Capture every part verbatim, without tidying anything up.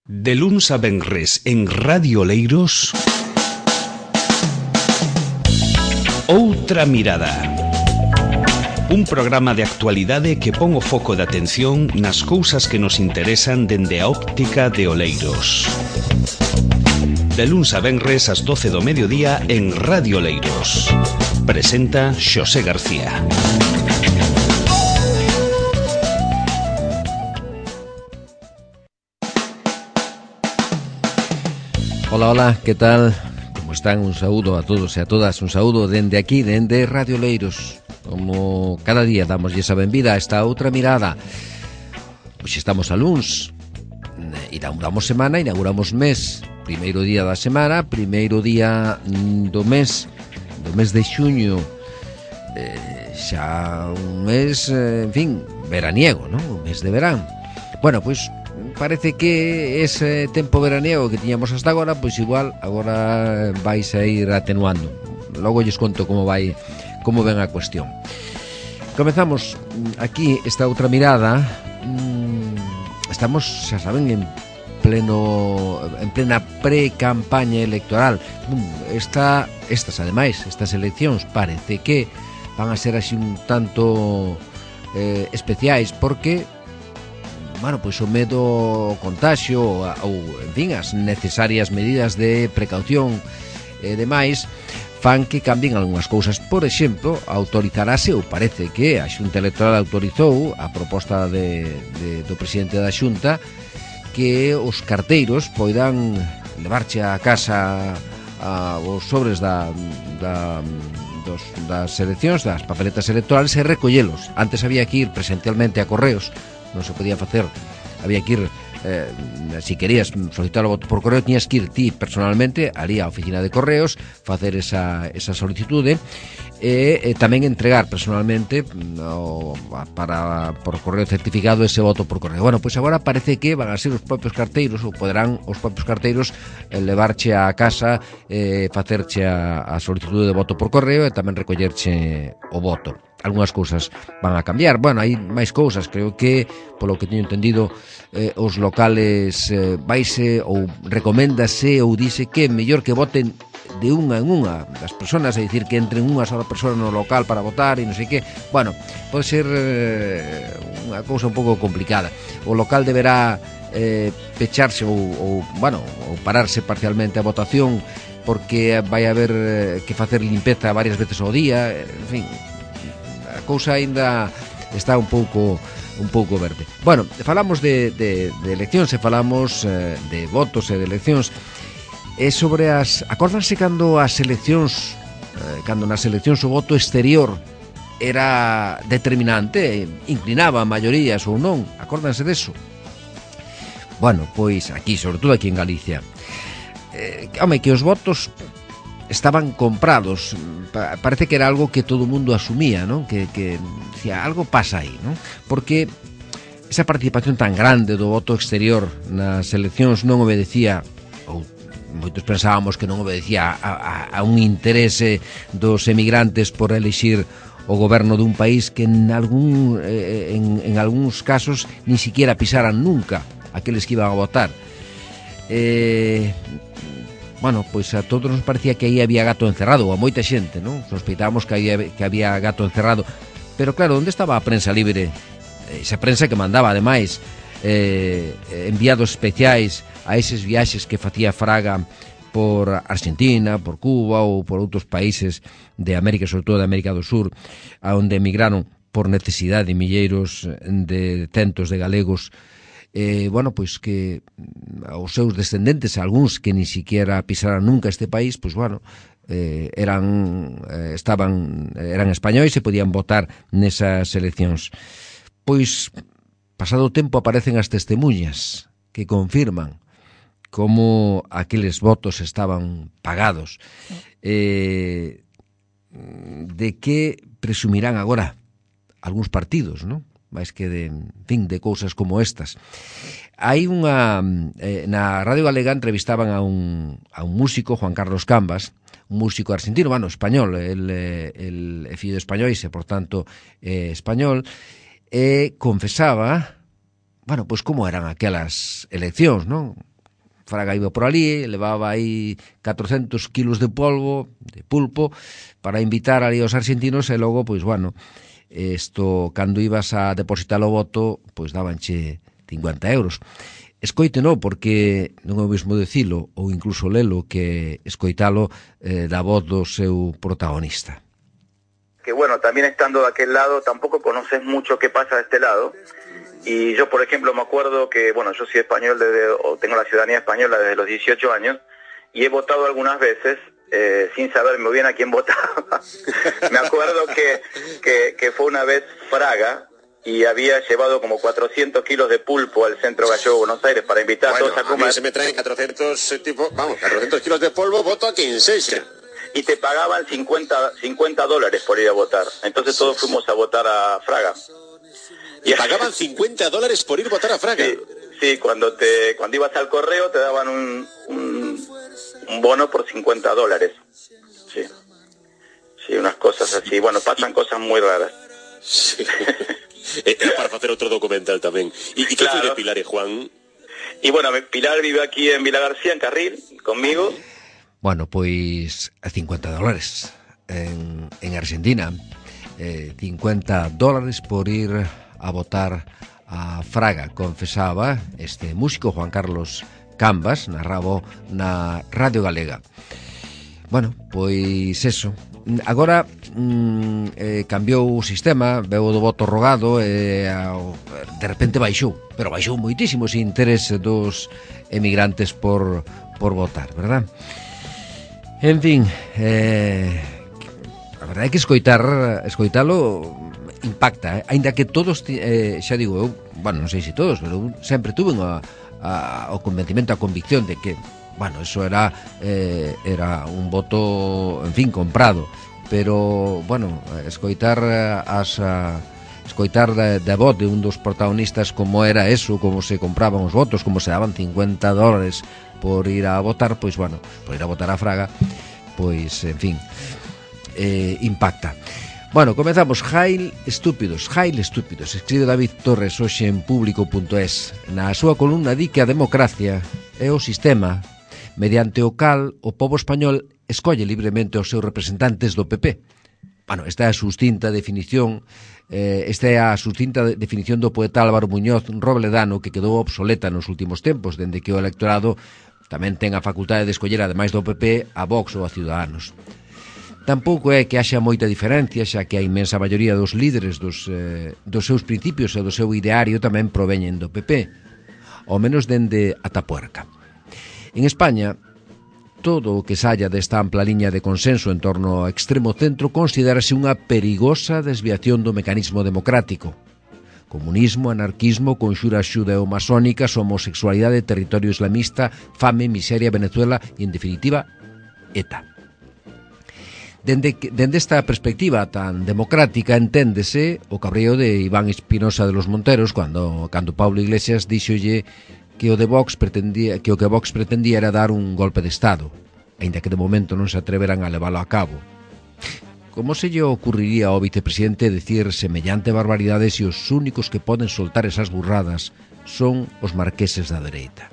De luns a venres en Radio Oleiros, Outra Mirada. Un programa de actualidade que pon o foco de atención nas cousas que nos interesan dende a óptica de Oleiros. De luns a venres ás doce do mediodía en Radio Oleiros. Presenta Xosé García. Hola, hola, que tal? Como están? Un saúdo a todos e a todas, un saúdo dende aquí, dende Radio Oleiros. Como cada día damos esa benvida a esta outra mirada. Pois estamos a luns, inauguramos semana, inauguramos mes. Primeiro día da semana, primeiro día do mes, do mes de xuño. eh, Xa un mes, en fin, veraniego, non? Un mes de verán. Bueno, pois parece que ese tempo veraniego que tiñamos hasta agora, pois igual agora vais a ir atenuando. Logo lles conto como vai, como ven a cuestión. Comezamos aquí esta outra mirada. Estamos, xa saben, en pleno en plena pre-campaña electoral. Esta, estas ademais, estas eleccións parece que van a ser así un tanto eh, especiais porque bueno, pois o medo ao contagio ou, en fin, as necesarias medidas de precaución e demais fan que cambien algunhas cousas. Por exemplo, autorizarase, ou parece que a Xunta Electoral autorizou a proposta de, de, do presidente da Xunta que os carteiros poidan levarche a casa a, os sobres da, da, dos, das eleccións, das papeletas electorales e recollelos. Antes había que ir presencialmente a correos, non se podía facer, había que ir eh, si querías solicitar o voto por correo tiñas que ir ti personalmente ali á oficina de correos, facer esa, esa solicitude e, e tamén entregar personalmente o, para, por correo certificado ese voto por correo. Bueno, pois agora parece que van a ser os propios carteiros ou poderán os propios carteiros eh, levarche a casa, eh, facerche a, a solicitude de voto por correo e tamén recollerche o voto. Algúnas cousas van a cambiar. Bueno, hai máis cousas. Creo que, polo que teño entendido, eh, os locales eh, vaise ou recoméndase ou dice que é mellor que voten de unha en unha das persoas, é dicir, que entren unha sola persoa no local para votar e non sei que. Bueno, pode ser eh, unha cousa un pouco complicada. O local deberá eh, pecharse ou, ou, bueno, ou pararse parcialmente a votación porque vai haber eh, que facer limpeza varias veces ao día, en fin, a cousa aínda está un pouco un pouco verde. Bueno, falamos de, de, de eleccións e falamos eh, de votos e de eleccións. E sobre as... Acórdanse cando as eleccións, eh, cando nas eleccións o voto exterior era determinante, inclinaba a maiorías ou non? Acórdanse deso? Bueno, pois aquí, sobre todo aquí en Galicia, eh, home, que os votos estaban comprados. Parece que era algo que todo o mundo asumía, ¿no? Que, que decía, algo pasa aí, ¿no? Porque esa participación tan grande do voto exterior nas eleccións non obedecía, ou moitos pensábamos que non obedecía a, a, a un interese dos emigrantes por elixir o goberno dun país que en algún eh, en, en algúns casos ni siquiera pisaran nunca aqueles que iban a votar. Eh... Bueno, pois a todos nos parecía que aí había gato encerrado, ou a moita xente, non? Sospeitábamos que había, que había gato encerrado. Pero claro, onde estaba a prensa libre? Esa prensa que mandaba, ademais, eh, enviados especiais a eses viaxes que facía Fraga por Argentina, por Cuba ou por outros países de América, sobre todo de América do Sur, a onde emigraron por necesidade milleiros de centos de galegos. Eh, bueno, pois que os seus descendentes, algúns que ni siquiera pisaran nunca este país, pois bueno, eh, eran eh, estaban eran españois e podían votar nesas eleccións. Pois pasado o tempo aparecen as testemunhas que confirman como aqueles votos estaban pagados. Eh, de que presumirán agora algúns partidos, non? máis que de, en fin, de cousas como estas. Hai unha... Eh, na Radio Galega entrevistaban a un, a un músico, Juan Carlos Cambas, un músico argentino, bueno, español, el, el, el fillo de españois e, por tanto, eh, español, e confesaba, bueno, pois como eran aquelas eleccións, non? Fraga iba por ali, levaba aí catrocentos kilos de polvo, de pulpo, para invitar ali aos argentinos, e logo, pois, bueno, isto, cando ibas a depositar o voto, pois dabanche cincuenta euros. Escoíteno, porque non é o mesmo dicilo, ou incluso lelo, que escoitalo eh, da voz do seu protagonista. Que bueno, también estando de aquel lado, tampoco conoces mucho qué pasa de este lado. Y yo, por ejemplo, me acuerdo que, bueno, yo soy español desde, o tengo la ciudadanía española desde los dieciocho años, y he votado algunas veces eh, sin saber muy bien a quién votaba. Me acuerdo que, que, que fue una vez Fraga, y había llevado como cuatrocientos kilos de pulpo al centro gallego de Buenos Aires para invitar bueno, a todos a comer. A mí se me traen cuatrocientos, eh, tipo, vamos, cuatrocientos kilos de polvo, voto a quien sea. Y te pagaban cincuenta dólares por ir a votar. Entonces todos fuimos a votar a Fraga. Y pagaban cincuenta dólares por ir a votar a Fraga. Sí, sí, cuando te cuando ibas al correo te daban un, un, un bono por cincuenta dólares. Sí, sí, unas cosas así. Bueno, pasan cosas muy raras. Sí. Era para hacer otro documental también. ¿Y, y qué claro. fue de Pilar y Juan? Y bueno, Pilar vive aquí en Vila García, en Carril, conmigo. Bueno, pois cincuenta dólares en, en Argentina. Eh, cincuenta dólares por ir a votar a Fraga, confesaba este músico Juan Carlos Cambas, narrabo na Radio Galega. Bueno, pois eso. Agora mm, eh, cambiou o sistema, veu do voto rogado e eh, de repente baixou, pero baixou moitísimo ese interese dos emigrantes por, por votar, verdad? En fin, eh, a verdade é que escoitar, escoitalo impacta, eh? Ainda que todos, eh, xa digo eu, bueno, non sei se todos, pero eu sempre tuve a, a, o convencimento, a convicción de que, bueno, eso era eh, era un voto, en fin, comprado, pero, bueno, escoitar as... A, escoitar da, da voz de un dos protagonistas como era eso, como se compraban os votos, como se daban cincuenta dólares por ir a votar, pois, bueno, por ir a votar a Fraga, pois, en fin, eh, impacta. Bueno, comezamos. Jail estúpidos, Jail estúpidos, escribe David Torres hoxe en público punto es. Na súa columna di que a democracia é o sistema mediante o cal o pobo español escolle libremente os seus representantes do P P. Bueno, esta é a sustinta definición eh, esta é a sustinta definición do poeta Álvaro Muñoz Robledano, que quedou obsoleta nos últimos tempos, dende que o electorado tamén ten a facultade de escoller, ademais do P P, a Vox ou a Ciudadanos. Tampouco é que haxa moita diferencia, xa que a inmensa maioría dos líderes dos, eh, dos seus principios e do seu ideario tamén proveñen do P P, ao menos dende a Tapuerca. En España, todo o que saia desta ampla liña de consenso en torno ao extremo centro considérase unha perigosa desviación do mecanismo democrático. Comunismo, anarquismo, conxuras xudeo-masónicas, homosexualidade, territorio islamista, fame, miseria, Venezuela e, en definitiva, ETA. Dende, dende esta perspectiva tan democrática enténdese o cabreo de Iván Espinosa de los Monteros cando, cando Pablo Iglesias díxolle que o de Vox pretendía, que o que Vox pretendía era dar un golpe de Estado, aínda que de momento non se atreveran a leválo a cabo. Como se lle ocurriría ao vicepresidente decir semellante barbaridade se os únicos que poden soltar esas burradas son os marqueses da dereita?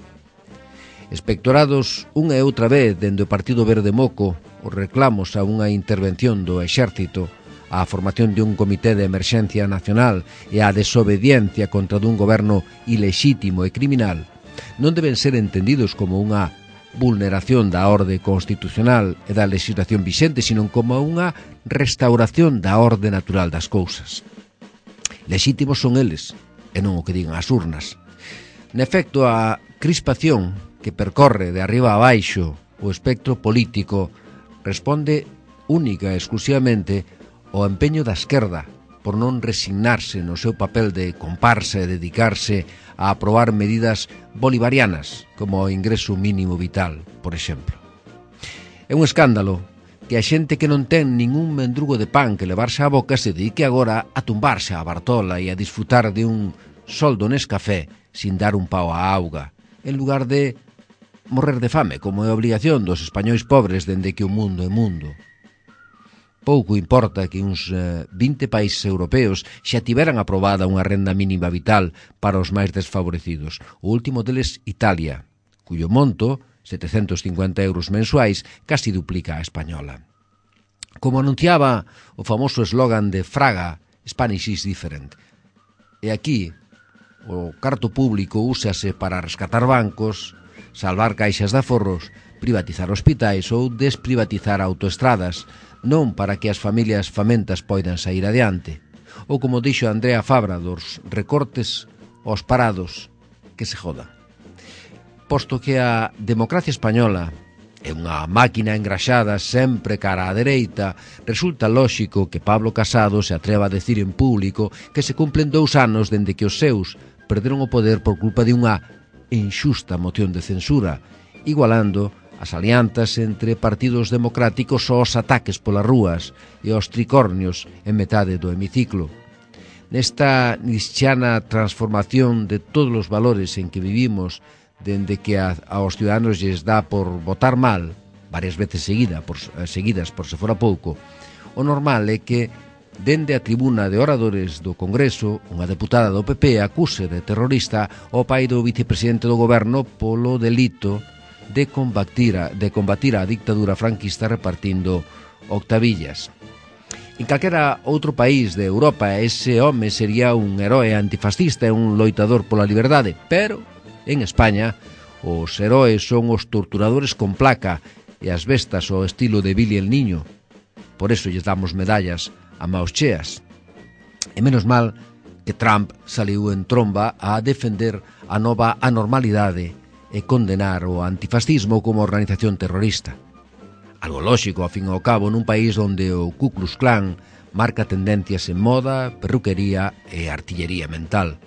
Espectorados unha e outra vez dende o Partido Verde Moco os reclamos a unha intervención do Exército, a formación de un comité de emerxencia nacional e a desobediencia contra dun goberno ilexítimo e criminal non deben ser entendidos como unha vulneración da orde constitucional e da legislación vixente, sino como unha restauración da orde natural das cousas. Lexítimos son eles, e non o que digan as urnas. En efecto, a crispación que percorre de arriba a baixo o espectro político responde única e exclusivamente ao empeño da esquerda por non resignarse no seu papel de comparsa e dedicarse a aprobar medidas bolivarianas como o ingreso mínimo vital, por exemplo. É un escándalo que a xente que non ten ningún mendrugo de pan que levarse á boca se dedique agora a tumbarse á Bartola e a disfrutar de un soldo Nescafé sin dar un pao á auga, en lugar de morrer de fame, como é a obligación dos españois pobres dende que o mundo é mundo. Pouco importa que uns eh, vinte países europeos xa tiveran aprobada unha renda mínima vital para os máis desfavorecidos. O último deles, Italia, cuyo monto, setecentos cincuenta euros mensuais, casi duplica a española. Como anunciaba o famoso eslogan de Fraga, Spanish is different. E aquí, o carto público úsase para rescatar bancos, salvar caixas de aforros, privatizar hospitais ou desprivatizar autoestradas, non para que as familias famentas poidan sair adiante. Ou como dixo Andrea Fabra dos recortes aos parados, que se jodan. Posto que a democracia española é unha máquina engraxada sempre cara á dereita, resulta lóxico que Pablo Casado se atreva a decir en público que se cumplen dous anos dende que os seus perderon o poder por culpa de unha inxusta moción de censura, igualando as alianzas entre partidos democráticos aos ataques polas rúas e aos tricornios en metade do hemiciclo. Nesta nisciana transformación de todos os valores en que vivimos, dende que a, aos ciudadanos lles dá por votar mal, varias veces seguida, por, seguidas por se fora pouco, o normal é que, dende a tribuna de oradores do Congreso, unha deputada do P P acuse de terrorista ao pai do vicepresidente do goberno polo delito de combatir a, de combatir a dictadura franquista repartindo octavillas. En calquera outro país de Europa, ese home sería un heroe antifascista e un loitador pola liberdade, pero en España, os heroes son os torturadores con placa e as bestas ao estilo de Billy el Niño. Por eso lles damos medallas a maos cheas. E menos mal que Trump saliu en tromba a defender a nova anormalidade e condenar o antifascismo como organización terrorista. Algo lóxico, ao fin e ao cabo, nun país onde o Ku Klux Klan marca tendencias en moda, perruquería e artillería mental.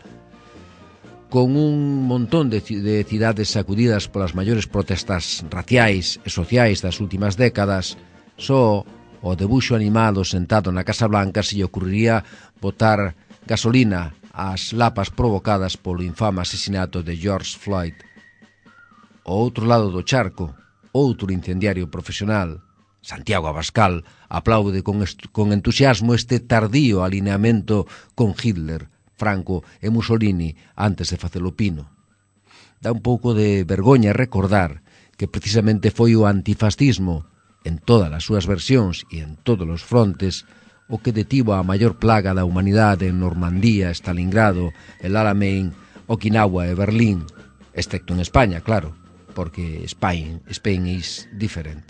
Con un montón de, de cidades sacudidas polas maiores protestas raciais e sociais das últimas décadas, só o debuxo animado sentado na Casa Blanca se lle ocurriría botar gasolina ás lapas provocadas polo infame asesinato de George Floyd. O outro lado do charco, outro incendiario profesional, Santiago Abascal, aplaude con, con entusiasmo este tardío alineamento con Hitler, Franco e Mussolini antes de facelo pino. Dá un pouco de vergoña recordar que precisamente foi o antifascismo, en todas as súas versións e en todos os frontes, o que detivo a maior plaga da humanidade en Normandía, Stalingrado, el Alamein, Okinawa e Berlín, excepto en España, claro, porque Spain, Spain is different.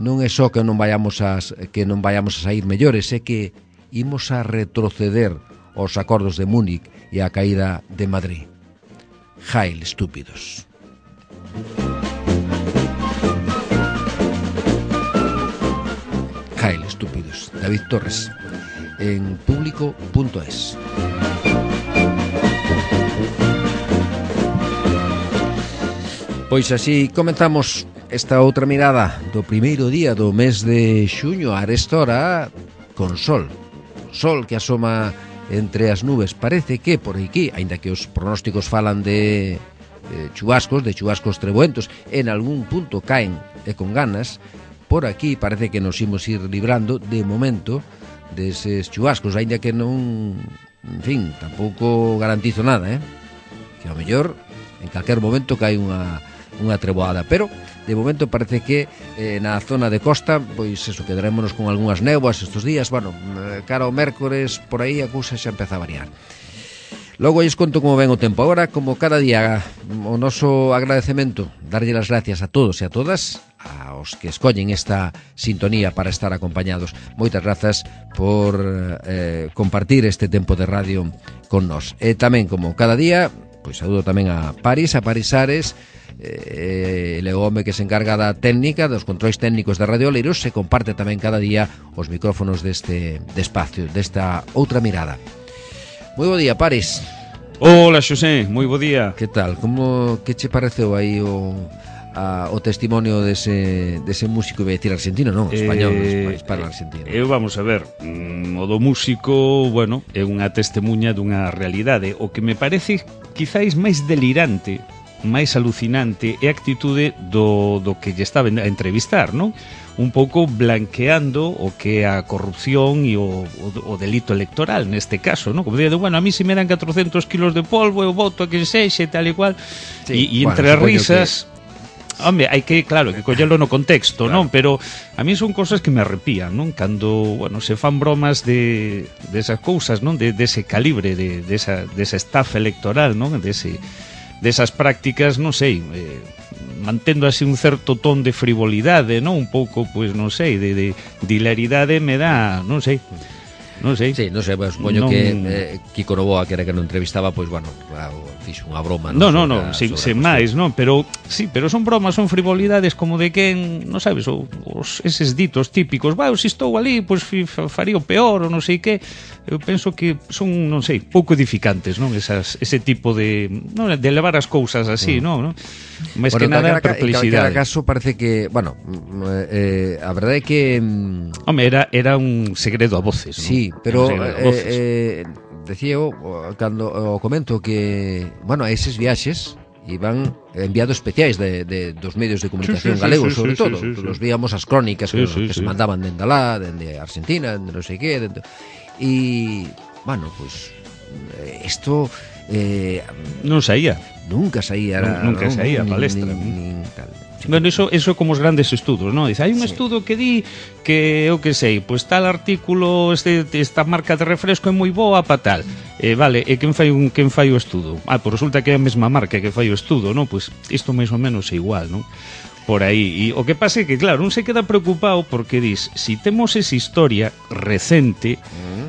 Non é só que non vayamos a, que non vayamos a sair mellores, é que imos a retroceder aos acordos de Múnich e a caída de Madrid. Jail, estúpidos. Jail, estúpidos. David Torres, en público punto es. Pois así comenzamos esta outra mirada do primeiro día do mes de xuño, a esta hora, con sol. Sol que asoma entre as nubes. Parece que por aquí, aínda que os pronósticos falan de, de chubascos, de chubascos trebuentos, en algún punto caen e con ganas, por aquí parece que nos imos ir librando de momento deses chubascos, aínda que non, en fin, tampouco garantizo nada, eh? Que ao mellor en calquer momento cae unha unha treboada, pero de momento parece que eh, na zona de costa, pois eso, quedarémonos con algunhas néboas estes días. Bueno, cara ao mércores, por aí a cousa xa empeza a variar. Logo lles conto como ven o tempo. Agora, como cada día, o noso agradecemento, darlle as gracias a todos e a todas, aos que escollen esta sintonía para estar acompañados. Moitas grazas por eh, compartir este tempo de radio con nós. E tamén, como cada día, pois saúdo tamén a Paris, a Paris Ares, eh, ele é o home que se encarga da técnica, dos controis técnicos de Radio Oleiros, se comparte tamén cada día os micrófonos deste de espacio, desta outra mirada. Moi bo día, Paris. Hola, Xosé, moi bo día. Que tal? Como que che pareceu aí o a, o testimonio dese, dese músico, iba a decir argentino, non, español, eh, para argentino. Eu vamos a ver, mm, o do músico, bueno, é unha testemunha dunha realidade. O que me parece quizáis máis delirante, máis alucinante é a actitude do, do que lle estaba a entrevistar, non? un pouco blanqueando o que é a corrupción e o, o, o delito electoral neste caso, ¿no? Como dicendo, bueno, a mí se me dan catrocentos kilos de polvo eu voto a que sexe tal e cual, sí, e, e entre bueno, risas que... Hombre, hai que, claro, que collelo no contexto, claro. non? Pero a mí son cosas que me arrepían, non? Cando, bueno, se fan bromas de desas de cousas, non? De dese de calibre, de desa de esa estafa electoral, non? De ese desas prácticas, non sei, eh, mantendo así un certo ton de frivolidade, non? Un pouco, pois, non sei, de, de, de hilaridade me dá, non sei. Non sei. Sí, non sei, pues, supoño non... que eh, Kiko Novoa, que era que non entrevistaba, pois, bueno, fixo unha broma, non? Non, non, non, sin, sen máis, non, pero sí, pero son bromas, son frivolidades como de quen, non sabes, os, eses ditos típicos, vai, se estou ali, pois faría o peor, ou non sei que. Eu penso que son, non sei, pouco edificantes, non? Esas, ese tipo de, non, de levar as cousas así, mm. non? Máis bueno, que nada, perplexidade. En calquera caso parece que, bueno, eh, a verdade é que... Home, era, era un segredo a voces, non? Sí, pero eh, eh, decía eu, cando o comento que, bueno, eses viaxes iban enviados especiais de, de, dos medios de comunicación sí, sí, galegos, sí, sobre sí, todo. Sí, sí, sí. Los víamos as crónicas sí, que, sí, que sí. se mandaban dende lá, dende Argentina, dende non sei que, dende... E, bueno, pues isto eh, non saía. Nunca saía. Era, nunca non, saía a palestra. Nin, nin, tal. Bueno, eso, eso como os grandes estudos, ¿no? Dice, hai un sí. estudo que di que, eu que sei, pois pues, tal artículo, este, esta marca de refresco é moi boa pa tal. Eh, vale, e quen fai, un, quen fai o estudo? Ah, pois resulta que é a mesma marca que fai o estudo, ¿no? Pois pues, isto máis ou menos é igual, ¿no? Por aí, e o que pasa é que, claro, non se queda preocupado porque dis, si temos esa historia recente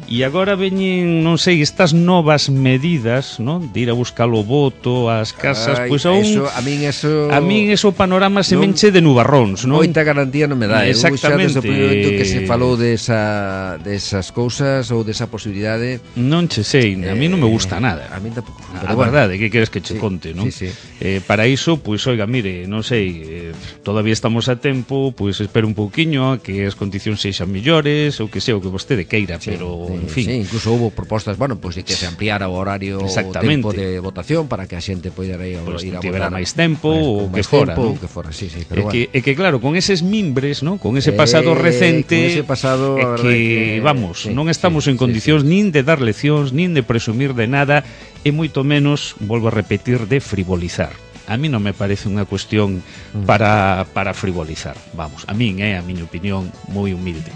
e mm. agora veñen, non sei, estas novas medidas, non? De ir a buscar o voto ás casas, pois pues, eso, a min eso a min eso panorama se non, menche de nubarróns, non? Moita garantía non me dá. Exactamente. Eu xa desde o primeiro momento que se falou desa desas cousas ou desa posibilidade, non che sei, a mí non me gusta nada. A mí tampouco. A verdade, que queres que che sí, conte, non? Sí, sí. Eh, para iso, pois, pues, oiga, mire, non sei, eh, todavía estamos a tempo, pois pues, espero un pouquiño a que as condicións sexan mellores, ou que sei, o que vostede queira, sí, pero, sí, en fin. Sí, incluso houve propostas, bueno, pois pues, de que se ampliara o horario, o tempo de votación para que a xente poidera ir, pues, ir a tivera votar máis tempo ou que fora, tempo, ¿no? que fora, sí, sí, é, pero bueno. que, é que claro, con eses mimbres, ¿no? Con ese pasado eh, recente, con ese pasado, é que, que vamos, sí, non estamos sí, en condicións sí, sí. nin de dar leccións, nin de presumir de nada, e moito menos, volvo a repetir, de frivolizar. A mí non me parece unha cuestión para, para frivolizar. Vamos, a min é a miña opinión moi humilde.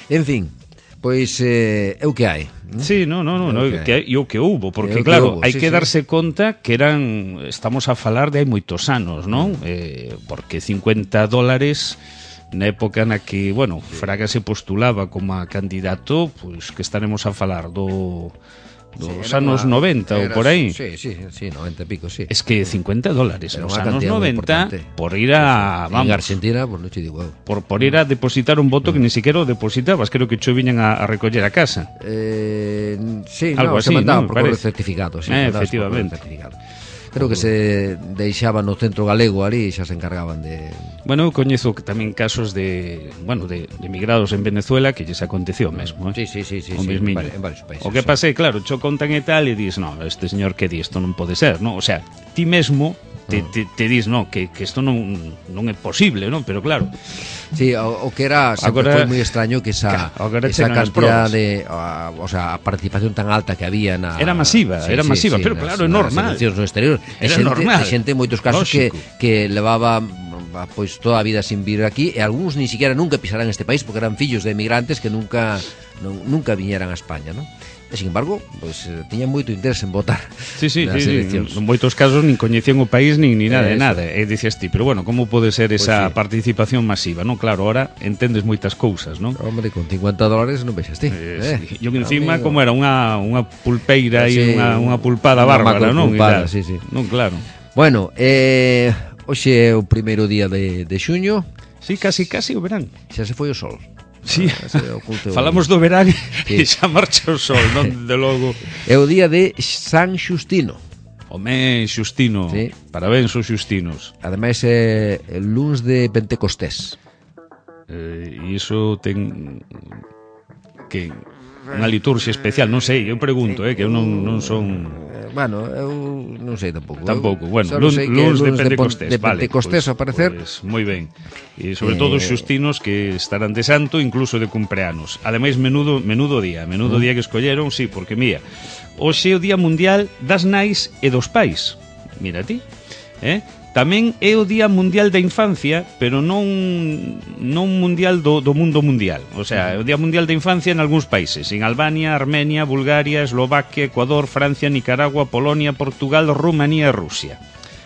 En fin, pois eh, é o que hai. ¿No? Sí, no, no, no, no okay. que hai, e o que houbo, porque claro, hai sí, que sí. darse conta que eran, estamos a falar de hai moitos anos, non? Mm. Eh, porque cincuenta dólares na época na que, bueno, Fraga se postulaba como a candidato, pois que estaremos a falar do dos sí, anos una, noventa ou por aí. Sí, sí, sí, noventa e pico, sí. Es que cincuenta dólares nos anos noventa por ir a, sí, sí. vamos, en Argentina, pues non te digo. Por por ir a depositar un voto mm. que ni siquiera o depositabas, creo que cho viñan a, a recoller a casa. Eh, sí, algo no, así, se mandaban ¿no? por correo certificado, sí, eh, efectivamente. Certificado. Creo que se deixaban no centro galego ali e xa se encargaban de... Bueno, eu coñezo tamén casos de, bueno, de, de emigrados en Venezuela que lles aconteceu mesmo, eh? Sí, sí, sí, sí, o sí, en, en varios países. O que pasei, claro, cho contan e tal e dis, no, este señor que di, isto non pode ser, no? O sea, ti mesmo te, te, te dis, no, que, que isto non, non é posible, no? Pero claro... Sí, o, o que era sempre agora, foi moi extraño que esa, esa cantidad de, a, o sea, a participación tan alta que había na... Era masiva, sí, era sí, masiva, sí, pero nas, claro, é normal. Nas no exterior. Era xente, normal. Xente en moitos casos que, que levaba pois toda a vida sin vir aquí e algúns ni siquiera nunca pisarán este país porque eran fillos de emigrantes que nunca non, nunca viñeran a España, ¿no? E, sin embargo, pois, tiñan moito interés en votar. Sí, sí, sí, sí. En moitos casos nin coñecían o país nin ni nada de nada. E dices ti, pero bueno, como pode ser esa pues sí. participación masiva, non? Claro, ahora entendes moitas cousas, non? Hombre, con cincuenta dólares non vexas ti. Eh, eh. Sí. E encima, amigo, como era unha, unha pulpeira e sí, unha, unha pulpada unha bárbara, non? Pulpada, sí, sí. Non, claro. Bueno, eh, hoxe é o primeiro día de, de xuño. Sí, casi, casi o verán. Xa se foi o sol. Sí, falamos do verán sí. e xa marcha o sol, non de logo. É o día de San Xustino. Home, Xustino, sí. Parabéns aos xustinos. Ademais é el luns de Pentecostés. E eh, iso ten que unha liturxia especial, non sei, eu pregunto, eh, que eu non, non son... Bueno, eu non sei tampouco. Tampouco, bueno, luns de Pentecostés, de Pentecostés, vale, ao parecer. Pues, moi ben. E sobre todo os xustinos que estarán de santo, incluso de cumpleanos. Ademais, menudo menudo día, menudo día que escolleron, sí, porque mira, hoxe é o Día Mundial das Nais e dos Pais. Mira ti, eh? Tamén é o Día Mundial da Infancia, pero non non mundial do, do mundo mundial. O sea, é o Día Mundial da Infancia en algúns países, en Albania, Armenia, Bulgaria, Eslovaquia, Ecuador, Francia, Nicaragua, Polonia, Portugal, Rumanía e Rusia.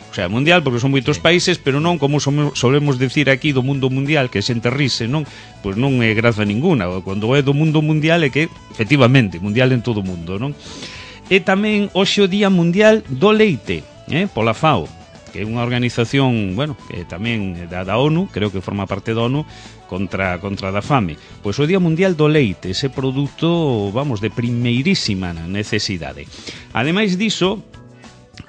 O sea, mundial porque son moitos países, pero non como solemos decir aquí do mundo mundial, que xente rise, non? Pois non é graza ninguna. Cando é do mundo mundial é que, efectivamente, mundial en todo o mundo, non? E tamén hoxe o Día Mundial do Leite, eh? Pola FAO, que é unha organización, bueno, que tamén da, da ONU, creo que forma parte da ONU, contra, contra da fame. Pois o Día Mundial do Leite, ese produto, vamos, de primeirísima necesidade. Ademais diso,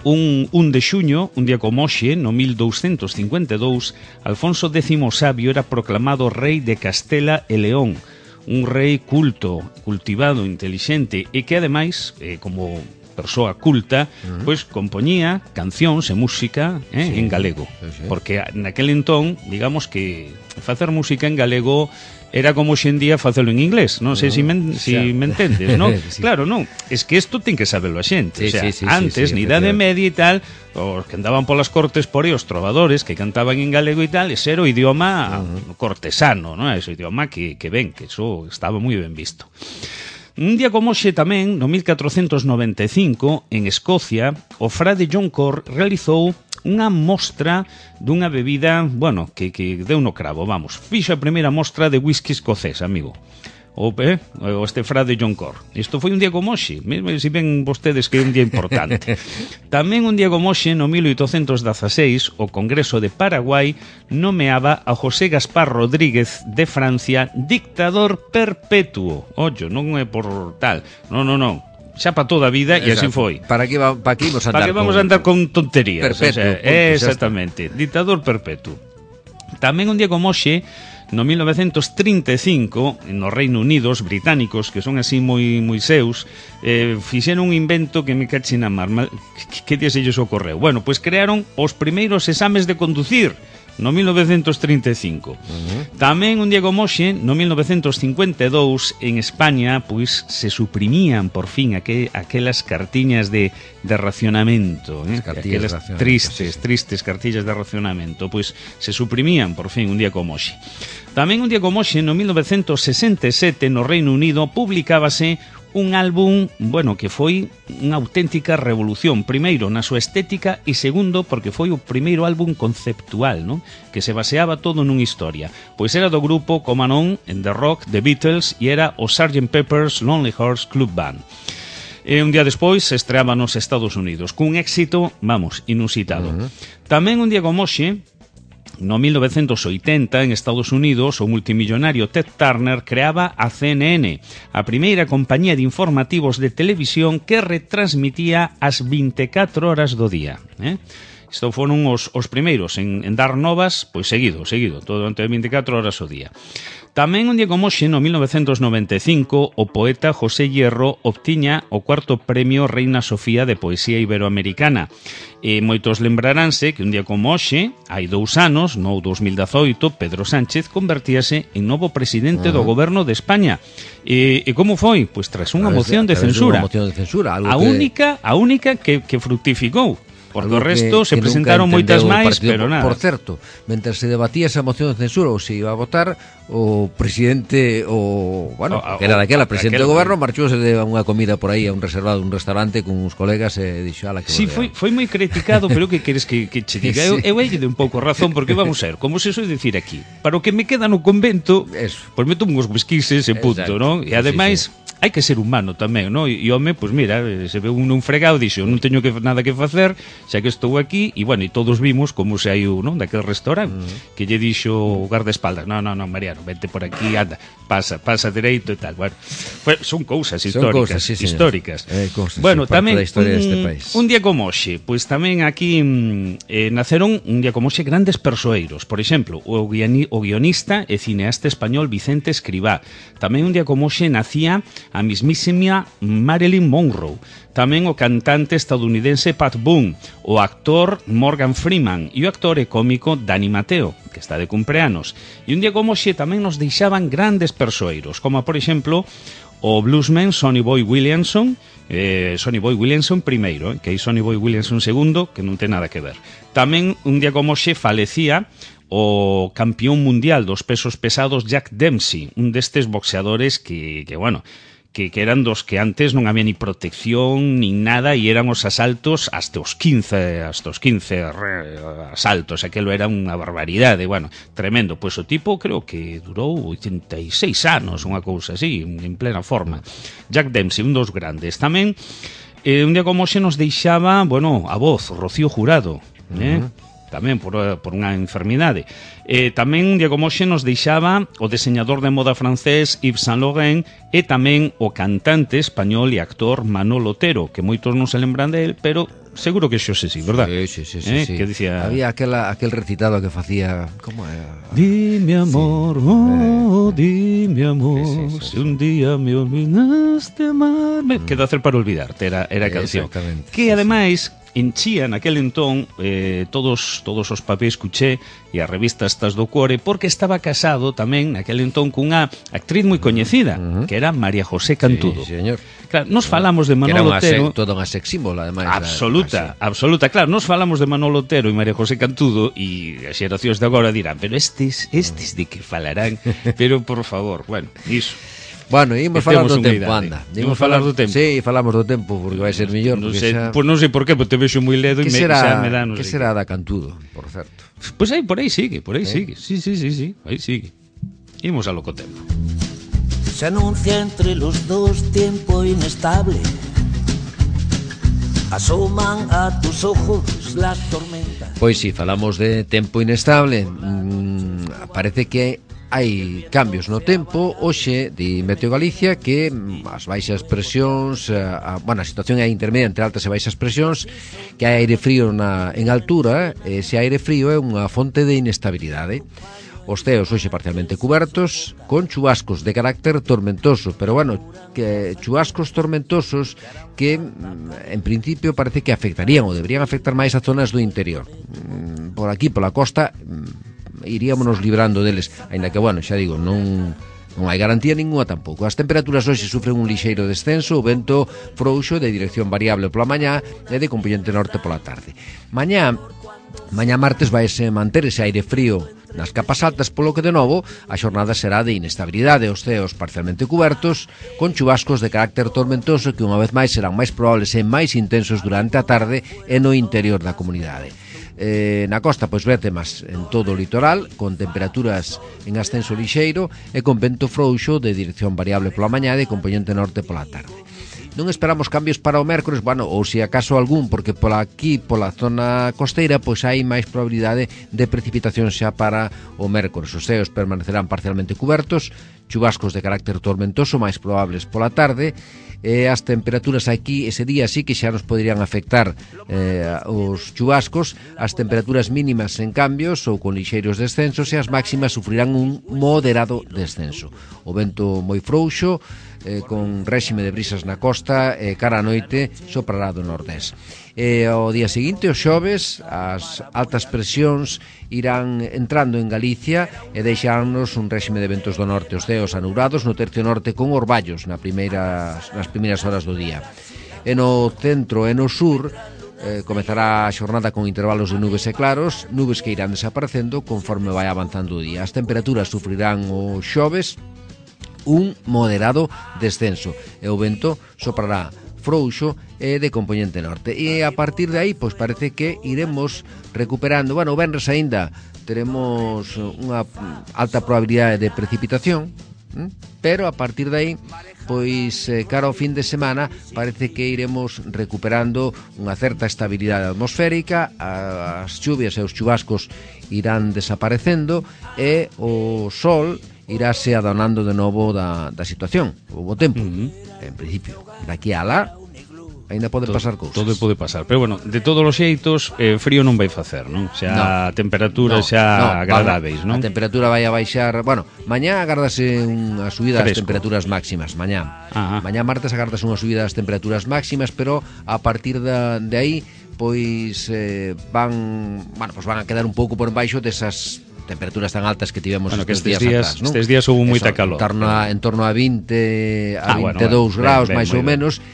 un, un de xuño, un día como hoxe, no mil douscentos cincuenta e dous, Alfonso décimo Sabio era proclamado rei de Castela e León, un rei culto, cultivado, intelixente, e que ademais, eh, como persoa culta, uh-huh. pois compoñía cancións e música eh, sí, en galego, sí, sí. Porque naquel entón, digamos que facer música en galego era como hoxe en día facelo en inglés, non sei uh-huh. se me, si me entendes, non? Sí. Claro, non, es que isto ten que saberlo a xente, sí, o sea, sí, sí, antes, sí, sí, na Idade Media e tal, os que andaban polas cortes por aí, os trovadores que cantaban en galego e tal, ese era o idioma uh-huh. cortesano, non? Ese idioma que, que ben, que eso estaba moi ben visto. Un día como hoxe tamén, no mil catrocentos noventa e cinco, en Escocia, o frade John Corr realizou unha mostra dunha bebida, bueno, que, que deu no cravo, vamos. Fixo a primeira mostra de whisky escocés, amigo. O, eh, o este frade John Corr. Isto foi un día como hoxe, mesmo se ven vostedes que é un día importante. Tamén un día como hoxe, no mil oitocentos dezaseis, o Congreso de Paraguai nomeaba a José Gaspar Rodríguez de Francia dictador perpetuo. Ollo, non é por tal, non, non, non. Xa para toda a vida e así foi. Para que, va, para que vamos a andar, para que vamos con... a andar con tonterías. Perpetuo. O sea, exactamente, dictador perpetuo. Tamén un día como hoxe, no mil novecentos trinta e cinco, no Reino Unido, os británicos, que son así moi moi seus, eh, fixeron un invento que me cache na mar. Que, que día se lles ocorreu? Bueno, pois crearon os primeiros exames de conducir no mil novecentos trinta e cinco. Uh-huh. Tamén un día como hoxe, no mil novecentos cincuenta e dous, en España, pois se suprimían por fin aquel, aquelas cartiñas de, de racionamento, eh? Aquelas tristes, tristes cartillas de racionamento, pois se suprimían por fin un día como hoxe. Tamén un día como hoxe, no mil novecentos sesenta e sete, no Reino Unido, publicábase un álbum, bueno, que foi unha auténtica revolución. Primeiro, na súa estética, e segundo, porque foi o primeiro álbum conceptual, non? Que se baseaba todo nunha historia. Pois era do grupo, como non, en The Rock, The Beatles, e era o sergeant Pepper's Lonely Hearts Club Band. E un día despois se estreaba nos Estados Unidos, cun éxito, vamos, inusitado. Uh-huh. Tamén un día como hoxe, no mil novecentos oitenta, en Estados Unidos, o multimillonario Ted Turner creaba a C N N, a primeira compañía de informativos de televisión que retransmitía as vinte e catro horas do día. Eh? Isto foron os, os primeiros en, en dar novas, pois seguido, seguido, todo durante vinte e catro horas ao día. Tamén un día como hoxe, no mil novecentos noventa e cinco, o poeta José Hierro obtiña o cuarto premio Reina Sofía de Poesía Iberoamericana. E moitos lembraránse que un día como hoxe, hai dous anos, no dos mil dezoito, Pedro Sánchez convertíase en novo presidente uh-huh. do goberno de España. E, e como foi? Pois tras unha moción de censura. Unha moción de censura, algo a que... única, a única que, que fructificou. Porque o resto que, se que presentaron moitas máis, pero nada. Por certo, mentre se debatía esa moción de censura ou se iba a votar, o presidente, o bueno, o, que era daquela, presidente do goberno, marchouse de unha comida por aí a un reservado, un restaurante con uns colegas e dixo, ala, que sí, foi, foi moi criticado, pero que queres que, que che diga? Sí. Eu, eu de un pouco razón, porque vamos a ver, como se soe dicir aquí, para o que me queda no convento, eso. Pois meto uns whiskyses e punto, non? E ademais... Sí, sí. Hai que ser humano tamén, non? E home, pois mira, se ve un un fregado, dixo, non teño que nada que facer, xa que estou aquí, e bueno, e todos vimos como se hai un, non, daquel restaurante, uh-huh. que lle dixo o guardaespaldas, non, non, non, Mariano, vente por aquí, anda, pasa, pasa dereito e tal. Bueno, pues son cousas históricas, son cousas, sí, históricas. Eh, cousas, bueno, tamén un, un día como hoxe, pois tamén aquí eh, naceron un día como hoxe grandes persoeiros. Por exemplo, o, guioni, o guionista e cineasta español Vicente Escribá. Tamén un día como hoxe nacía a mismísima Marilyn Monroe, tamén o cantante estadounidense Pat Boone, o actor Morgan Freeman e o actor e cómico Dani Mateo, que está de cumpleanos. E un día como xe tamén nos deixaban grandes persoeiros, como por exemplo o bluesman Sonny Boy Williamson, eh, Sonny Boy Williamson primeiro, eh, que hai Sonny Boy Williamson segundo, que non ten nada que ver. Tamén un día como xe falecía o campeón mundial dos pesos pesados Jack Dempsey, un destes boxeadores que, que bueno, que, que eran dos que antes non había ni protección ni nada e eran os asaltos hasta os quince, hasta os quince asaltos, aquelo era unha barbaridade, bueno, tremendo. Pois o tipo creo que durou oitenta e seis anos, unha cousa así, en plena forma. Jack Dempsey, un dos grandes. Tamén, eh, un día como xe nos deixaba, bueno, a voz, Rocío Jurado, eh? Uh-huh. Tamén por, por unha enfermidade. Eh, tamén un día como hoxe nos deixaba o diseñador de moda francés Yves Saint Laurent e tamén o cantante español e actor Manolo Otero, que moitos non se lembran de él, pero seguro que xo se sí, verdad? Sí, sí, sí, sí, eh, sí. Que dicía... Había aquela, aquel recitado que facía... Como era? Dime amor, sí. oh, dime amor, sí, sí, sí, si un día me olvidaste amarme... Mm. Quedo a hacer para olvidarte, era, era a canción. Que ademais... enchía naquel entón eh, todos todos os papéis cuché e as revistas estas do Cuore, porque estaba casado tamén naquel entón cunha actriz moi coñecida, uh-huh. que era María José Cantudo. Sí, señor. Claro, nos falamos de Manolo Otero, se, toda unha sex symbol, ademais. Absoluta, la, absoluta. Claro, nos falamos de Manolo Otero e María José Cantudo e as xeracións de agora dirán, pero estes, estes de que falarán, pero por favor, bueno, iso. Bueno, ímos falar do tempo, anda. Ímos falar do tempo. Sí, falamos do tempo, porque vai ser mellor. Non sei, xa... Pois non sei por qué, porque te vexo moi ledo e me, xa me dá... Que será da Cantudo, por certo? Pois aí, por aí sigue, por aí sigue. Sí, sí, sí, sí, aí sigue. Ímos a lo co tempo. Se anuncia entre los dos tiempo inestable. Asoman a tus ojos las tormentas. Pois si, sí, falamos de tempo inestable. Mm, parece que hai cambios no tempo. Hoxe di Meteo Galicia que as baixas presións, a, a, bueno, a situación é intermedia entre altas e baixas presións, que hai aire frío na, en altura, e ese aire frío é unha fonte de inestabilidade. Os ceos hoxe parcialmente cubertos, con chubascos de carácter tormentoso, pero bueno, que chubascos tormentosos que en principio parece que afectarían ou deberían afectar máis a zonas do interior. Por aquí, pola costa, iríamonos librando deles, aínda que, bueno, xa digo, non non hai garantía ninguna tampouco. As temperaturas hoxe sufren un lixeiro descenso, o vento frouxo de dirección variable pola mañá e de componente norte pola tarde. Mañá, mañá martes vaise manter ese aire frío nas capas altas, polo que de novo a xornada será de inestabilidade, os ceos parcialmente cubertos, con chubascos de carácter tormentoso que unha vez máis serán máis probables e máis intensos durante a tarde e no interior da comunidade. Eh, na costa, pois vertemas en todo o litoral, con temperaturas en ascenso lixeiro e con vento frouxo de dirección variable pola mañá e componente norte pola tarde. Non esperamos cambios para o mércores, bueno, ou se acaso algún, porque pola aquí, pola zona costeira, pois hai máis probabilidade de precipitación xa para o mércores. Os ceos permanecerán parcialmente cubertos, chubascos de carácter tormentoso máis probables pola tarde, e as temperaturas aquí ese día sí que xa nos poderían afectar eh, os chubascos. As temperaturas mínimas en cambios ou con lixeiros descensos, e as máximas sufrirán un moderado descenso. O vento moi frouxo, eh, con réxime de brisas na costa, e cara a noite soprará do nordés. E ao día seguinte, os xoves, as altas presións irán entrando en Galicia e deixarnos un réxime de ventos do norte, os ceos anubrados no tercio norte con orballos na primeiras, nas primeiras horas do día. E no centro e no sur eh, comezará a xornada con intervalos de nubes e claros, nubes que irán desaparecendo conforme vai avanzando o día. As temperaturas sufrirán os xoves un moderado descenso e o vento soprará frouxo e de componente norte. E a partir de aí, pois parece que iremos recuperando. Bueno, o venres aínda teremos unha alta probabilidade de precipitación, pero a partir de aí, pois cara ao fin de semana, parece que iremos recuperando unha certa estabilidade atmosférica, as chuvias e os chubascos irán desaparecendo e o sol iráse adonando de novo da, da situación, o bo tempo. Uh-huh. En principio, daqui a lá, Aínda pode todo, pasar cousas. Todo pode pasar, pero bueno, de todos os xeitos, eh, frío non vai facer, non? Xa no, temperaturas no, xa no, agradáveis, non? A temperatura vai a baixar, bueno, mañá agardase unha subida das Fresco. temperaturas máximas, mañá. Ajá. Mañá martes agardase unha subida das temperaturas máximas, pero a partir da, de aí pois eh, van, bueno, pois van a quedar un pouco por baixo desas temperaturas tan altas que tivemos bueno, estes, que estes días, días, atrás, non? estes días houve moita Eso, calor. En torno a, en torno a vinte a ah, veintidous bueno, graus, ben, ben, máis ou ben. menos.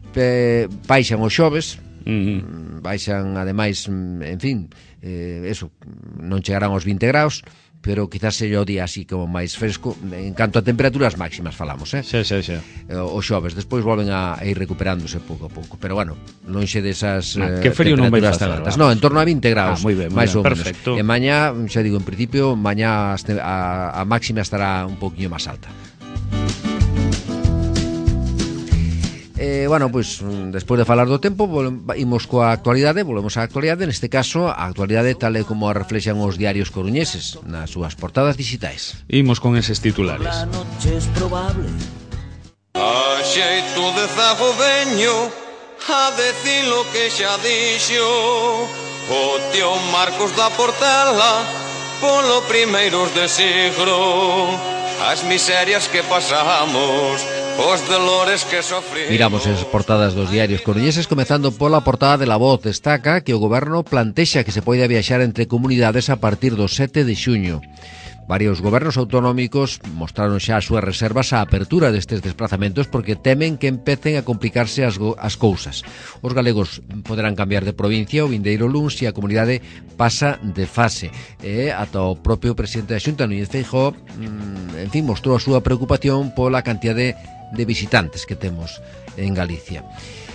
Pe, baixan os xoves, Uh-huh. baixan ademais, en fin, eh, eso, non chegarán aos vinte graus, pero quizás seja o día así como máis fresco en canto a temperaturas máximas falamos, eh? Xa, xa, xa. Os xoves, despois volven a, a ir recuperándose pouco a pouco, pero bueno, lonxe desas Ah, eh, que frío non vai temperaturas facer, tan altas. vamos. No, en torno a vinte graus, Ah, moi ben, moi máis ben, ou menos. perfecto. E mañá, xa digo, en principio, mañá a, a máxima estará un pouquiño máis alta. Eh, bueno, pois, pues, despois de falar do tempo, imos coa actualidade, volvemos á actualidade, neste caso, a actualidade tal e como a reflexan os diarios coruñeses nas súas portadas digitais. Imos con eses titulares. La noche es probable. A xeito de zago veño a decir lo que xa dixo o tío Marcos da Portela polo primeiros de siglo, as miserias que pasamos, os dolores que sofrimos. Miramos as portadas dos diarios coruñeses, comezando pola portada de La Voz. Destaca que o goberno plantexa que se poida viaxar entre comunidades a partir do sete de xuño. Varios gobernos autonómicos mostraron xa as súas reservas á apertura destes desplazamentos porque temen que empecen a complicarse as, as cousas. Os galegos poderán cambiar de provincia o vindeiro luns se a comunidade pasa de fase. E ata o propio presidente da Xunta, Núñez Feijóo, en fin, mostrou a súa preocupación pola cantidad de, de visitantes que temos en Galicia.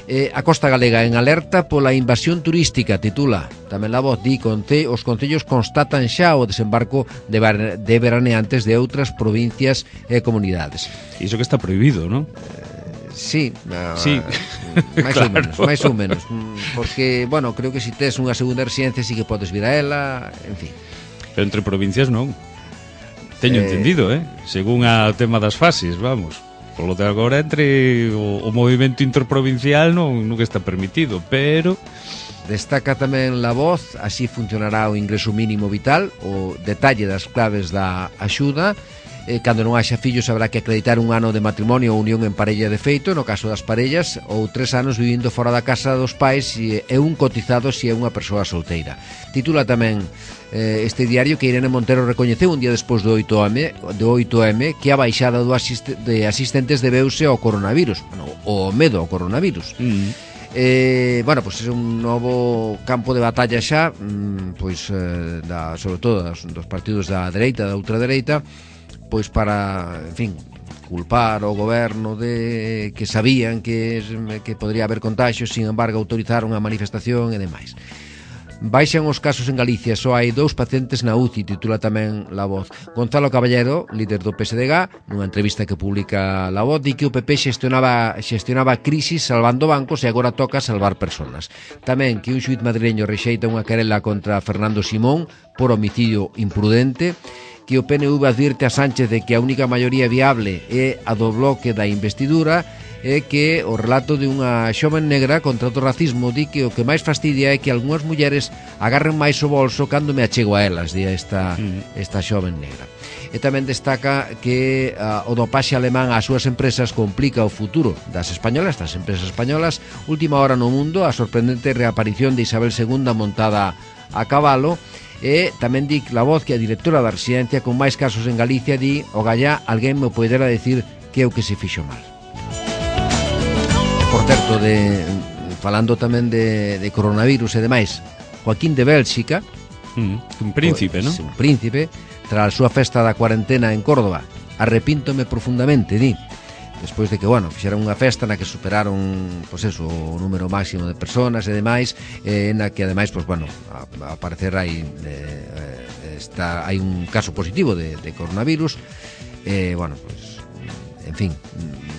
Eh, a costa galega en alerta pola invasión turística, titula tamén La Voz. Di que os concellos constatan xa o desembarco de, bar, de veraneantes de outras provincias e comunidades. Iso que está prohibido, non? Eh, sí, uh, sí. máis claro. ou menos, máis ou menos, porque, bueno, creo que se si tes unha segunda residencia sí que podes vir a ela, en fin. Pero entre provincias non. Teño Eh... entendido, eh? Según a tema das fases, vamos. Por lo de agora, entre o, o movimento interprovincial non, non está permitido, pero... Destaca tamén La Voz, así funcionará o ingreso mínimo vital, o detalle das claves da axuda. Eh, cando non haxa fillos habrá que acreditar un ano de matrimonio ou unión en parella de feito, no caso das parellas, ou tres anos vivindo fora da casa dos pais e, e un cotizado se é unha persoa solteira. Titula tamén eh, este diario que Irene Montero recoñeceu un día despois do oito eme, do oito eme que a baixada do asiste, de asistentes debeuse ao coronavirus, bueno, o medo ao coronavirus. Mm. Eh, bueno, pois pues é un novo campo de batalla xa, mm, pois eh, da, sobre todo das, dos partidos da dereita, da ultradereita, pois para, en fin, culpar ao goberno de que sabían que, que podría haber contagios, sin embargo autorizaron a manifestación e demais. Baixan os casos en Galicia, só hai dous pacientes na U C I, titula tamén La Voz. Gonzalo Caballero, líder do P S D G, nunha entrevista que publica La Voz, di que o P P xestionaba, xestionaba crisis salvando bancos e agora toca salvar personas. Tamén que un xuíz madrileño rexeita unha querela contra Fernando Simón por homicidio imprudente, que o P N V advirte a Sánchez de que a única maioría viable é a do bloque da investidura, é que o relato de unha xoven negra contra o racismo di que o que máis fastidia é que algunhas mulleres agarren máis o bolso cando me achego a elas, di esta, esta xoven negra. E tamén destaca que uh, o dopaxe alemán ás súas empresas complica o futuro das españolas, das empresas españolas. Última hora no mundo, a sorprendente reaparición de Isabel segunda montada a cabalo. E tamén di La Voz que a directora da residencia con máis casos en Galicia di o gallá alguén me poderá decir que é o que se fixo mal. Por certo, de, falando tamén de, de coronavirus e demais, Joaquín de Bélxica, mm, un príncipe, pues, non? Un príncipe, tras a súa festa da cuarentena en Córdoba, arrepíntome profundamente, di, despois de que, bueno, fixeran unha festa na que superaron, pois eso, o número máximo de personas e demais, eh, na que ademais, pois bueno, a, a parecer hai eh, está, hai un caso positivo de, de coronavirus, eh, bueno, pois, en fin,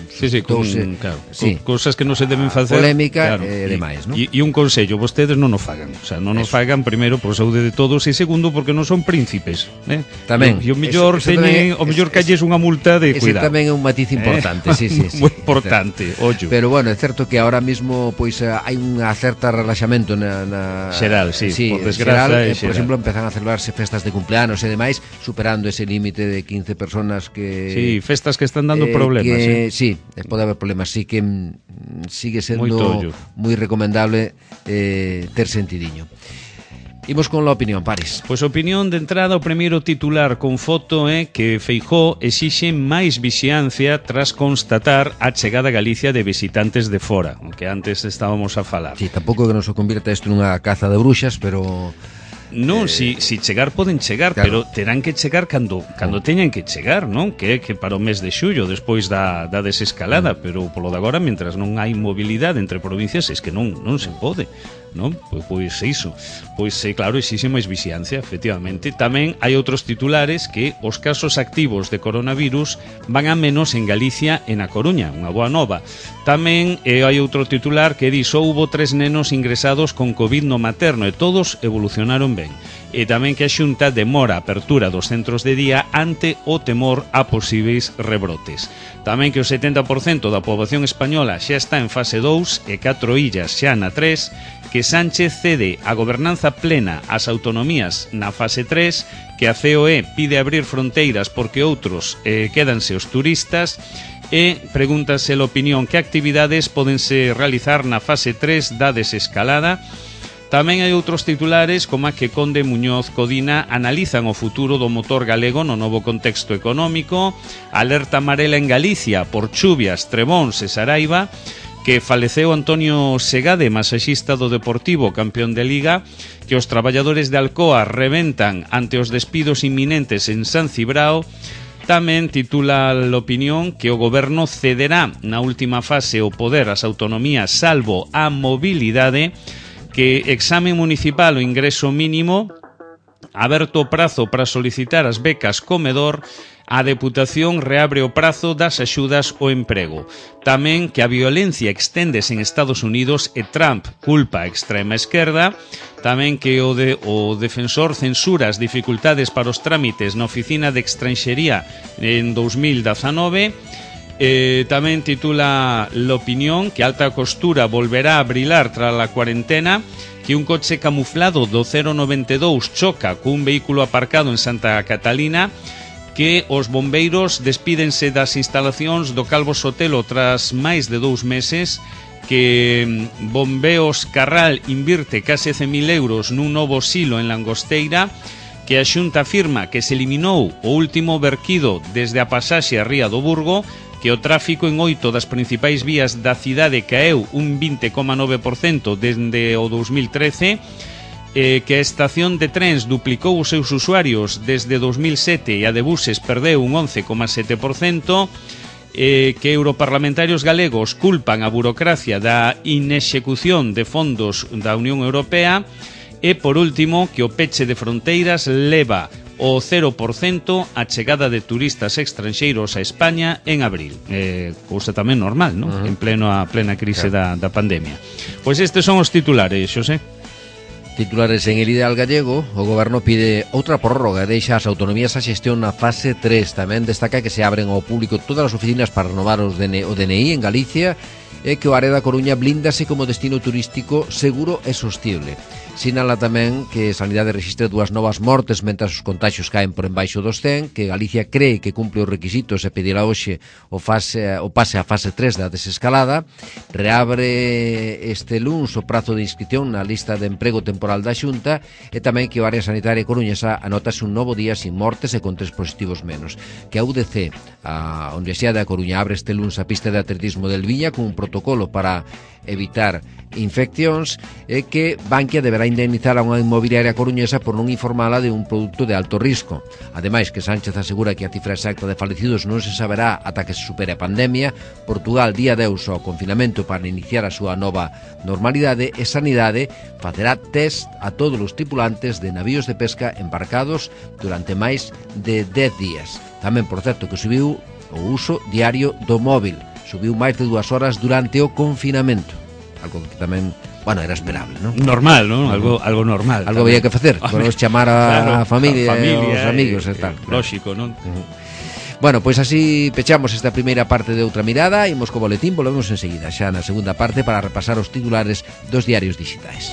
sí, sí, con, claro, sí, con cosas que non se deben facer, polémica, claro, e demais, non? E, e un consello, vostedes non o fagan, o sea, non o fagan primeiro por saúde de todos e segundo porque non son príncipes, eh? Tamén. E o mellor teñen, o mellor calles unha multa de ese cuidado. Ese tamén é un matiz importante, eh? sí, sí, sí. Moi importante, ollo. Pero bueno, é certo que ahora mismo pois hai unha certa relaxamento na, na xeral, sí, sí, por desgraza, xeral, eh, xeral. Por exemplo, empezan a celebrarse festas de cumpleanos e demais, superando ese límite de quince personas que sí, festas que están dando eh, problemas, que, eh? Sí, pode haber problemas, sí que mm, sigue sendo moi recomendable eh, ter sentidiño. Imos con la opinión, Paris. Pois opinión de entrada, o primeiro titular con foto é que Feijóo exixe máis vixiancia tras constatar a chegada a Galicia de visitantes de fora, que antes estábamos a falar. Sí, tampouco que nos o convirta isto nunha caza de bruxas, pero... Non, eh, si, si chegar poden chegar, claro. pero terán que chegar cando cando teñan que chegar, non? Que que para o mes de xullo, despois da, da desescalada, mm. pero polo de agora, mentras non hai mobilidade entre provincias, es que non non se pode, non? Pois, pois iso. Pois, claro, exixe máis vixiancia, efectivamente. Tamén hai outros titulares que os casos activos de coronavirus van a menos en Galicia e na Coruña, unha boa nova. Tamén eh, hai outro titular que di só hubo tres nenos ingresados con COVID no materno e todos evolucionaron ben. E tamén que a Xunta demora a apertura dos centros de día ante o temor a posíveis rebrotes. Tamén que o setenta por cento da poboación española xa está en fase dous e catro illas xa na tres, que Sánchez cede a gobernanza plena ás autonomías na fase tres, que a C O E pide abrir fronteiras porque outros eh, quédanse os turistas, e pregúntase a opinión que actividades podense realizar na fase tres da desescalada. Tamén hai outros titulares como a que Conde Muñoz Codina analizan o futuro do motor galego no novo contexto económico, alerta amarela en Galicia por chuvias, trebóns e Saraiva, que faleceu Antonio Segade, masaxista do Deportivo, campeón de Liga, que os traballadores de Alcoa reventan ante os despidos inminentes en San Cibrao. Tamén titula a opinión que o goberno cederá na última fase o poder ás autonomías salvo a mobilidade, que exame municipal o ingreso mínimo, aberto o prazo para solicitar as becas comedor, a Deputación reabre o prazo das axudas ao emprego. Tamén que a violencia exténdese en Estados Unidos e Trump culpa a extrema esquerda. Tamén que o, de, o defensor censura as dificultades para os trámites na Oficina de Extranxería en dos mil dezanove. Eh, tamén titula l'opinión que alta costura volverá a brilar tras a cuarentena, que un coche camuflado do cero noventa e dous choca cun vehículo aparcado en Santa Catalina, que os bombeiros despídense das instalacións do Calvo Sotelo tras máis de dous meses, que Bombeos Carral invirte case cen mil euros nun novo silo en Langosteira, que a Xunta afirma que se eliminou o último verquido desde a pasaxe a Ría do Burgo, que o tráfico en oito das principais vías da cidade caeu un vinte coma nove por cento dende o dos mil trece, eh, que a estación de trens duplicou os seus usuarios desde dos mil sete e a de buses perdeu un once coma sete por cento, eh, que europarlamentarios galegos culpan a burocracia da inexecución de fondos da Unión Europea, e, por último, que o peche de fronteiras leva o cero por cento a chegada de turistas extranxeiros a España en abril. Eh, cousa tamén normal, non? Uh-huh. En pleno a plena crise claro. da, da pandemia. Pois estes son os titulares, Xosé. Titulares en el ideal gallego, o goberno pide outra prórroga e deixa as autonomías a xestión na fase tres. Tamén destaca que se abren ao público todas as oficinas para renovar os D N I, o D N I en Galicia, e que o área da Coruña blíndase como destino turístico seguro e sostible. Sinala tamén que Sanidade rexistra dúas novas mortes mentras os contaxios caen por embaixo dos cen, que Galicia cree que cumple os requisitos e pedirá hoxe o, fase, o pase a fase tres da desescalada. Reabre este luns o prazo de inscripción na lista de emprego temporal da Xunta, e tamén que o área sanitaria coruñesa anotase un novo día sin mortes e con tres positivos menos. Que a U D C, a Universidade da Coruña, abre este luns a pista de atletismo del Viña con un protocolo para evitar infeccións, e que Bankia deberá indemnizar a unha inmobiliaria coruñesa por non informala de un produto de alto risco. Ademais, que Sánchez asegura que a cifra exacta de falecidos non se saberá ata que se supere a pandemia. Portugal día deus ao confinamento para iniciar a súa nova normalidade, e Sanidade facerá test a todos os tripulantes de navíos de pesca embarcados durante máis de dez días. Tamén, por certo, que subiu o uso diario do móvil. subiu máis de dúas horas durante o confinamento. Algo que tamén, bueno, era esperable, non? Normal, non? Algo, algo normal. Algo había que facer, podemos chamar a, claro, a familia, a familia e os amigos e, e tal. Lóxico, non? Uh-huh. Bueno, pois pues así pechamos esta primeira parte de Outra Mirada. Imos co boletín, volvemos enseguida xa na segunda parte para repasar os titulares dos diarios digitais.